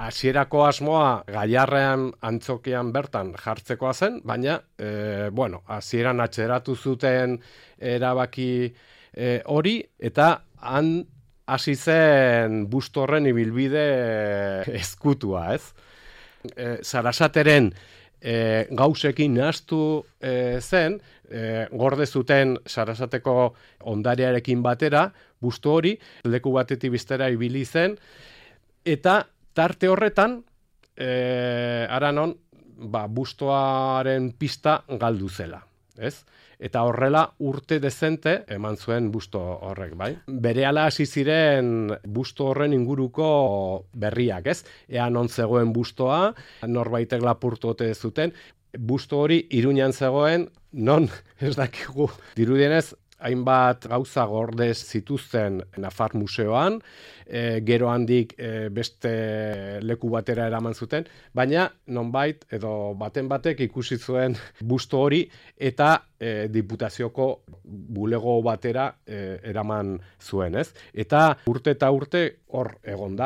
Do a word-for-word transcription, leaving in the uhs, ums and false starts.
hasierako asmoa Gaiarrean antzokian bertan jartzekoa zen, baina, e, bueno, hasieran atxeratu zuten erabaki e, hori, eta han hasi zen busto horren ibilbide ezkutua, ez? E, Sarasateren e, gauzekin nahaztu e, zen, e, gorde zuten Sarasateko ondarearekin batera, busto hori, leku batetik bestera ibili zen, eta tarte horretan, e, aranon, ba, bustoaren pista galdu zela, ez? Eta horrela urte dezente eman zuen busto horrek, bai? Berehala hasi ziren busto horren inguruko berriak, ez? Ea non zegoen bustoa, norbaitek lapurtu ote zuten, busto hori Iruñan zegoen, non ez dakigu dirudienez, hainbat gauza gordez zituzten Nafar Museoan, e, gero handik e, beste leku batera eraman zuten, baina nonbait edo baten batek ikusi zuen busto hori eta e, diputazioko bulego batera e, eraman zuen, ez? Eta urte eta urte hor egon da.